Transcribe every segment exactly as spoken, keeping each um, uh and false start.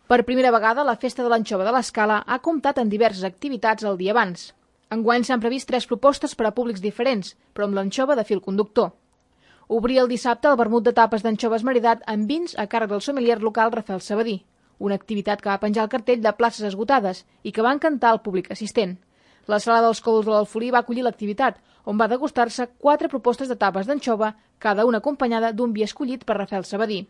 Per primera vegada, la Festa de l'Anxova de l'Escala ha comptat amb diverses activitats el dia abans. Enguany s'han previst tres propostes per a públics diferents, però amb l'anxova de fil conductor. Obria el dissabte el vermut de tapes d'anxova esmaridat amb vins a càrrec del sommelier local Rafael Sabadí, una activitat que va penjar el cartell de places esgotades i que va encantar al públic assistent. La sala dels Còdols de l'Alfolí va acollir l'activitat, on va degustar-se quatre propostes de tapes d'anxova, cada una acompanyada d'un vi escollit per Rafael Sabadí.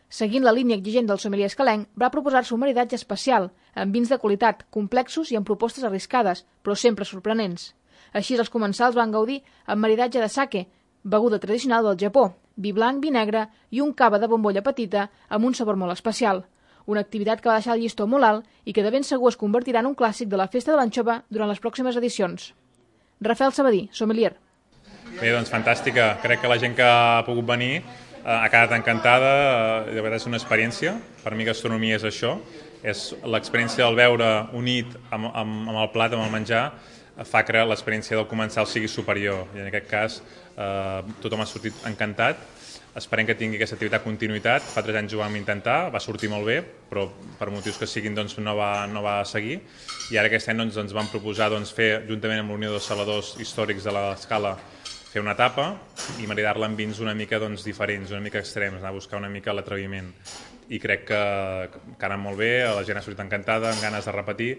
Seguint la línia exigent del sommelier escalenc, va proposar-se un maridatge especial, amb vins de qualitat, complexos i amb propostes arriscades, però sempre sorprenents. Així, els comensals van gaudir amb maridatge de sake, beguda tradicional del Japó, vi blanc, vi negre i un cava de bombolla petita amb un sabor molt especial. Una activitat que va deixar el llistó molt alt i que de ben segur es convertirà en un clàssic de la Festa de l'Anxova durant les pròximes edicions. Rafael Sabadí, sommelier. Bé, doncs fantàstica. Crec que la gent que ha pogut venir ha quedat encantada, de veritat és una experiència. Per mi gastronomia és això, és l'experiència del beure unit amb, amb, amb el plat, amb el menjar, fa que l'experiència del comensal sigui superior. I en aquest cas eh, tothom ha sortit encantat. Esperem que tingui aquesta activitat continuïtat. Fa tres anys ho vam intentar, va sortir molt bé, però per motius que siguin doncs, no, va, no va seguir. I ara aquest any doncs, ens vam proposar doncs, fer, juntament amb la Unió dels Saladors Històrics de l'Escala, fer una tapa i maridar-la amb vins una mica doncs, diferents, una mica extrems, anar a buscar una mica l'atreviment. I crec que, que ha anat molt bé, la gent ha sortit encantada, amb ganes de repetir,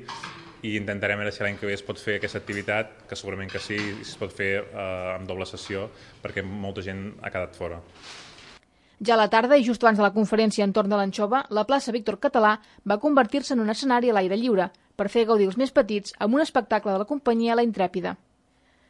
i intentarem veure si l'any que ve es pot fer aquesta activitat, que segurament que sí, es pot fer eh, amb doble sessió, perquè molta gent ha quedat fora. Ja a la tarda, i just abans de la conferència entorn de l'anxova, la plaça Víctor Català va convertir-se en un escenari a l'aire lliure, per fer gaudir els més petits amb un espectacle de la companyia La Intrèpida.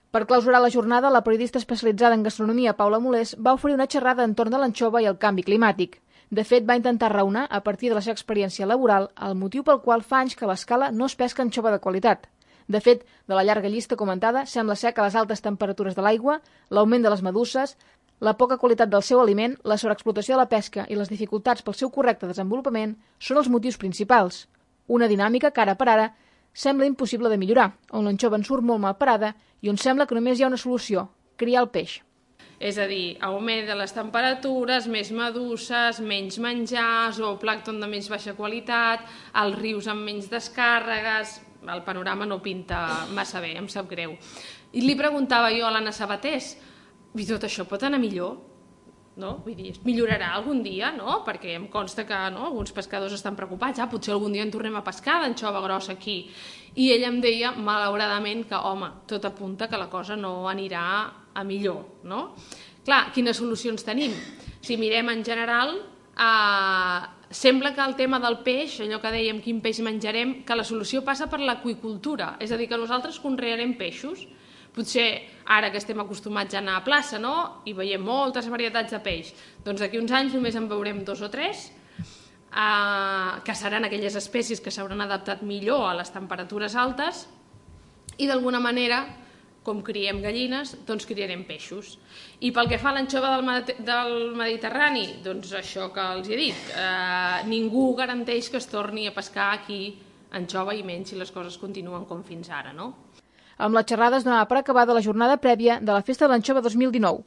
Per clausurar la jornada, la periodista especialitzada en gastronomia, Paula Molés, va oferir una xerrada entorn de l'anxova i el canvi climàtic. De fet, va intentar raonar, a partir de la seva experiència laboral, el motiu pel qual fa anys que a l'Escala no es pesca anxova de qualitat. De fet, de la llarga llista comentada, sembla ser que les altes temperatures de l'aigua, l'augment de les meduses, la poca qualitat del seu aliment, la sobreexplotació de la pesca i les dificultats pel seu correcte desenvolupament són els motius principals. Una dinàmica que ara per ara sembla impossible de millorar, on l'anxova en surt molt mal parada i on sembla que només hi ha una solució, criar el peix. És a dir, augment de les temperatures, més meduses, menys menjar, zooplàncton de menys baixa qualitat, els rius amb menys descàrregues... El panorama no pinta massa bé, em sap greu. I li preguntava jo a l'Anna Sabatés, i tot això pot anar millor? No? Vull dir, millorarà algun dia, no? Perquè em consta que no? Alguns pescadors estan preocupats, ah, potser algun dia en tornem a pescar d'anxova grossa aquí. I ella em deia, malauradament, que home, tot apunta que la cosa no anirà a millor, no? Clar, quines solucions tenim? Si mirem en general, eh, sembla que el tema del peix, allò que dèiem quin peix menjarem, que la solució passa per l'aqüicultura, és a dir, que nosaltres conrearem peixos. Potser ara que estem acostumats a anar a plaça, no? I veiem moltes varietats de peix, doncs d'aquí uns anys només en veurem dos o tres, eh, que seran aquelles espècies que s'hauran adaptat millor a les temperatures altes, i d'alguna manera, com criem gallines, doncs criarem peixos. I pel que fa a l'anxova del Mediterrani, doncs això que els he dit, eh, ningú garanteix que es torni a pescar aquí anxova, i menys si les coses continuen com fins ara, no? Amb la xerrada es donava per acabada la jornada prèvia de la Festa de l'Anxova dos mil dinou.